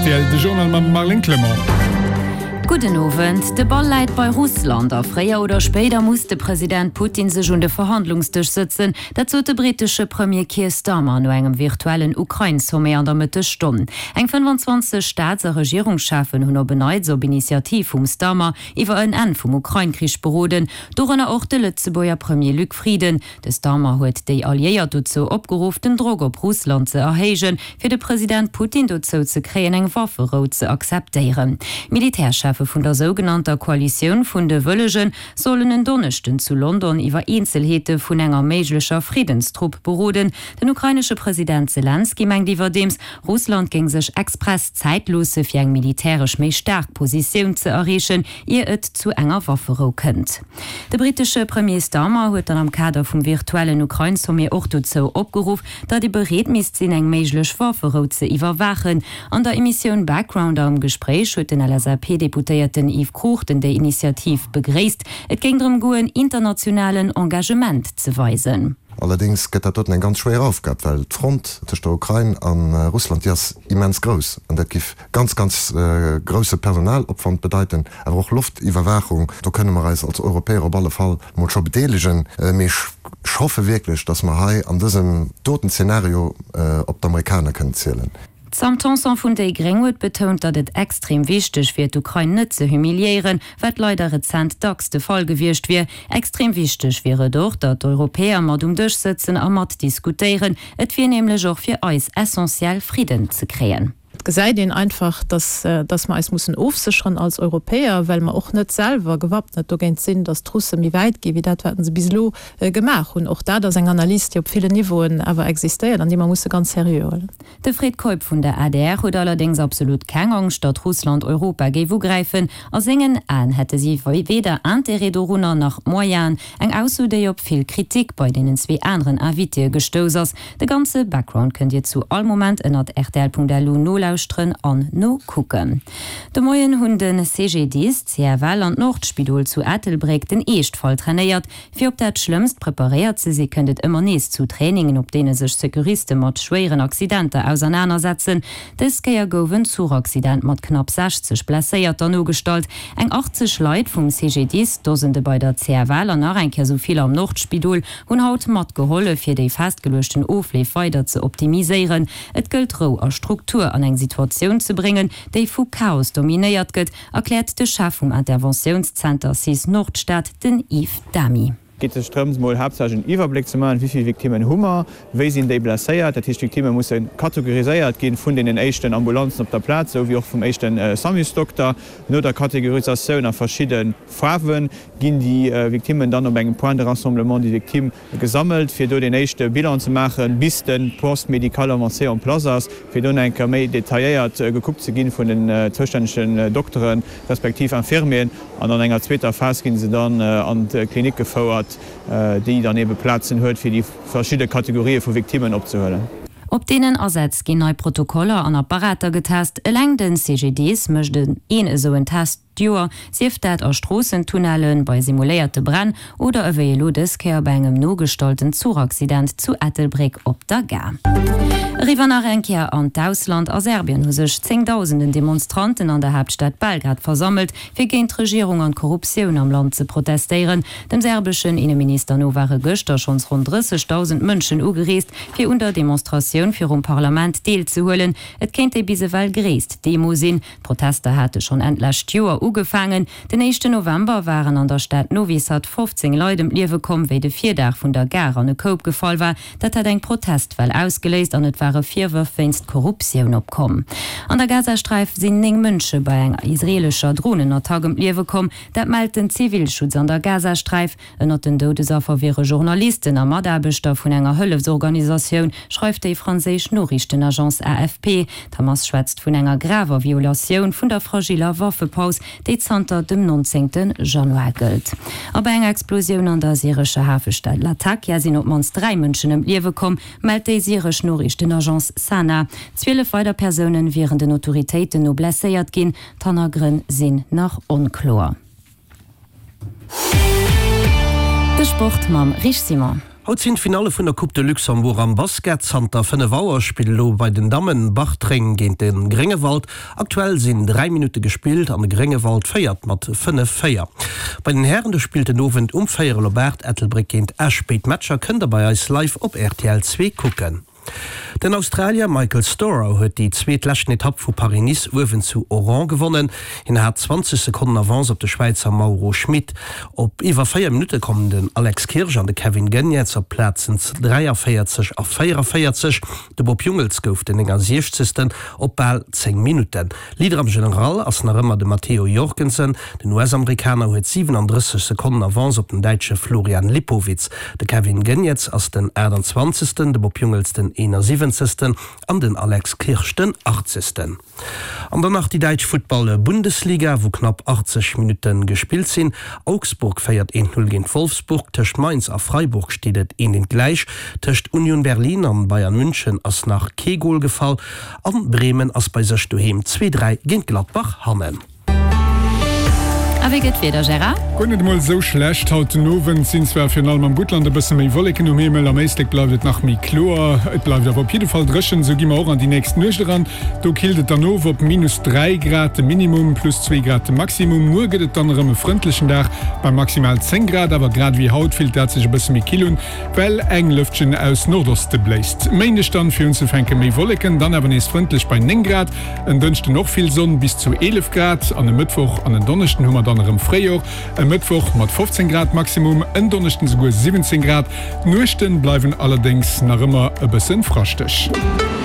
rtl, de Journal mam Marlène Clement. Gudden Owend. De Ball läit bei Russland a fréier oder spéider muss de President Putin sech un de Verhandlungsdësch sëtzen. Dat sot de brittesche Premier Keir Starmer no engem virtuellen Ukrain-Sommet an der Mëttesstonn. Eng 25 Staats a Regierungscheffen hunn op en Neits op Initiativ vum Starmer iwwer en Enn vum Ukrain-Krich beroden, dorënner och de Lëtzebuerger Premier Luc Frieden. De Starmer huet déi Alliéiert dozou opgeruff, den Drock op Russland ze erhéijen, fir de President Putin dozou ze kréien, eng Wafferou ze akzeptéieren. D'Militärcheffe vun der sougenannter Koalitioun vun de Wëllegen sollen en Donneschden zu London iwwer Eenzelheete vun enger méiglecher Friddenstrupp beroden. Den ukrainesche President Selenskyj mengt iwwerdeems, Russland géing sech express Zäit loosse fir eng militäresch méi staark Positioun ze erreechen, ier et zu enger Wafferou kënnt. De brittesche Premier Starmer huet dann am Kader vum virtuellen Ukrain-Sommet och dozou opgeruff, datt ee bereet misst sinn, eng méiglech Wafferou ze iwwerwaachen. An der Emissioun Background am Gespréich huet den LSAP-Deputéierten Yves Cruchten déi Initiativ begréisst. Et géing drëm goen, internationalen Engagement ze weisen. Allerdéngs gëtt dat doten eng ganz schwéier Aufgab, well d'Front tëscht der Ukrain a Russland, déi ass immens grouss an dat giff ganz, ganz grousse Personalopwand bedeiten, awer och Loftiwwerwaachung. Do kënne mer eis als Europäer op alle Fall mol scho bedeelegen. Mee ech hoffe wierklech, datt mer hei an dësem doten Zeenario op d'Amerikaner kënnen zielen. D'Sam Tanson vun déi gréng huet betount, datt et extrem wichteg wier, d'Ukrain net ze humiliéieren, wat leider rezent dacks de Fall gewiescht wier. Extrem wichteg wier et och, datt d'Europäer mat um Dësch sëtzen a mat diskutéieren. Et wier nämlech och fir eis essentiell, Fridden ze kréien. Et gesäit een einfach, datt datt mer eis mussen ofsécheren als Europäer, well mer och net selwer gewappnet dogéint sinn, datt d'Russe méi wäit gi wéi dat, wat se bis elo gemaach hunn. Och dat ass eng Analys, déi op villen Niveauen awer existéiert an déi mer musse ganz seriö huelen. De Fred Keup vun der adr huet allerdéngs absolut keng Angscht, datt Russland Europa géif ugräifen. A sengen Aen hätte si weder Interêt dorunner nach d'Moyenen. Eng Ausso, déi op vill Kritik bei deenen zwee aneren Invitéë gestouss ass. De ganze Background kënnt Dir zu all Moment ënnert rtl.lu nolauschteren an nokucken. De Moien hunn de CGDIS, d'CFL an d'Nordspidol zu Ettelbréck den Eeschtfall trainéiert. Fir op dat Schlëmmst preparéiert ze si kënnt et ëmmer nees zu Trainingen, op deene sech Securiste mat schwéieren Accidenter ausernanersetzen. Dës Kéier gouf en Zuchaccident mat knapp 60 Blesséierter nogestallt. Eng 80 Leit vum CGDIS, Dosende bei der CFL an nach eng Kéier sou vill am Nordspidol hunn haut matgehollef, fir déi festgeluechten Ofleef weider ze optimiséieren. Et gëllt Rou a Struktur an eng Situatioun ze bréngen, déi vu Chaos dominéiert gëtt, erkläert de Chef vum Interventiounszenter cis Nordstad, den Yves Damy. Et geet sech drëms, mol haaptsächlech en Iwwerbléck ze maachen, wéi vill Victimmen hu mer, wéi sinn déi blesséiert. Dat heescht, d'Victimme musse kategoriséiert ginn vun deenen éischten Ambulanzen op der Plaz, esou wéi och vum éischte Samusdokter. No der Kategorisatioun a verschidde Faarwe ginn déi Victimmen dann op engem Point de rassemblement des victimes gesammelt, fir do deen éischte Bilan ze maachen, bis de Poste médical avancé en place ass, fir do nach eng Kéier méi detailléiert gekuckt ze ginn vun den zoustännegen Dokteren, respektiv Infirmieren. An an enger zweeter Phas gi se dann an d'Klinik gefouert, déi dann eebe Plazen huet, fir déi verschidde Kategorië vu Victimmen opzehuelen. Op deenen Asätz ginn nei Protokoller an Apparater getest. Eleng de CGDIS mécht een esou en Test. D'Joer, sief dat a Stroossentunnellen, bei simuléierte Bränn oder ewéi elo dës Kéier bei engem nogestallten Zuchaccident zu Ettelbréck op der Gare. Eriwwer nach eng Kéier an d'Ausland, A Serbien hu sech zéngdausenden Demonstranten an der Haaptstad Belgrad versammelt, fir géint d'Regierung an d'Korruptioun am Land ze protestéieren. Dem serbeschen Inneminister no ware gëschter schonns ronn 30.000 Mënschen ugereest, fir un der Demonstratioun virum Parlament deelzehuelen. Et kéint déi bis ewell gréisst Demo sinn. D'Protester hate schonn Enn d'lescht Joer ugefaangen. Den éischten November waren an der Stad Novi Sad 15 Leit ëm d'Liewe komm, wéi de Virdaach vun der Gare an e Koup gefall war. Dat hat eng Protestwell ausgeléist an et ware Virwërf wéinst Korruptioun opkomm. An der Gazasträif sinn 9 Mënsche bei enger israeelescher Dronenattack ëm d'Liewe komm. Dat mellt den Zivilschutz an der Gazasträif. Ënnert den Doudesaffer wiere Journalisten a Mataarbechter vun enger Hëllefsorganisatioun, schreift déi franséisch Noriichtenagence AFP. D'Hamas schwätzt vun enger graver Violatioun vun der fragiller Waffepaus, déi zanter dem 19. Januar gëllt. A bei enger Explosioun an der syrescher Hafestad Latakia sinn op d'mannst 3 Mënschen ëm d'Liewe komm, mellt déi syresch Noriichtenagence Sana. 12 weider Persounen wieren den Autoritéiten no blesséiert ginn. D'Hannergrënn sinn nach onkloer. De Sport mam Rich Simon. Haut sinn d'Finalle vun der Coupe de Luxembourg am Basket. Zanter 5 Auer spillt elo bei den Dammen Bartreng géint de Gréngewald. Aktuell sinn 3 Minutte gespillt an de Gréngewald féiert mat 5, 4. Bei den Hären do spillt den Owend um véierel op 8 Ettelbréck géint Esch. Béid Matcher kënnt der bei eis live op rtl 2 kucken. Den Australier Michael Storer huet déi zweet leschten Etapp vu Paris-Nice uewen zu Oran gewonnen. Hien hat 20 Sekonnen Avance op de Schwäizer Mauro Schmit. Op iwwer 4 Minutte kommen den Alex Kirsch an de Kevin Geniets op d'Plazen 43 a 44. De Bob Jungels gouf den 69. Op bal 10 Minutten. Leader am General ass nach ëmmer de Matteo Jorgensen. Den US-Amerikaner huet 37 Sekonnen Avance op den Däitsche Florian Lipowitz. De Kevin Geniets ass den 28., de Bob Jungels den 71. An den Alex Kirsch den 80. An dann nach déi däitsch Futtball-Bundesliga, wou knapp 80 Minutte gespillt sinn. Augsburg féiert 1, 0 géint Wolfsburg, tëscht Mainz a Freiburg steet et 1, 1 gläich, tëscht Union Berlin an Bayern München ass nach kee Gol gefall an Bremen ass bei sech doheem 2, 3 géint Gladbach hannen. A wéi gëtt d'Wieder, Gérard? Guer net emol esou schlecht. Haut den Owend sinn zwar virun allem am Guttland e bësse méi Wolleken um Himmel, am Éislek bleift et nach méi kloer. Et bleift awer op jidde Fall dréchen, esou gi mer och an déi nächst Nuecht eran. Do killt et dann of op minus 3 Grad de Minimum, plus 2 Grad de Maximum. Muer gëtt et dann erëm e frëndlechen Dag bei maximal 10 Grad, awer grad ewéi haut fillt dat sech e bësse méi kill un, well eng Lëftchen aus Nordoste bléist. Méindeg dann fir unzefänke méi Wolleken, dann awer nees frëndlech bei 9 Grad. En Dënschden och vill Sonn, bis zu 11 Grad an e Mëttwoch an en Donneschden hu mer dann erëm Fréijor. E Mëttwoch mat 15 Grad Maximum, en Donneschden souguer 17 Grad. D'Nuechten bleiwen allerdéngs nach ëmmer e bëssen fraschteg.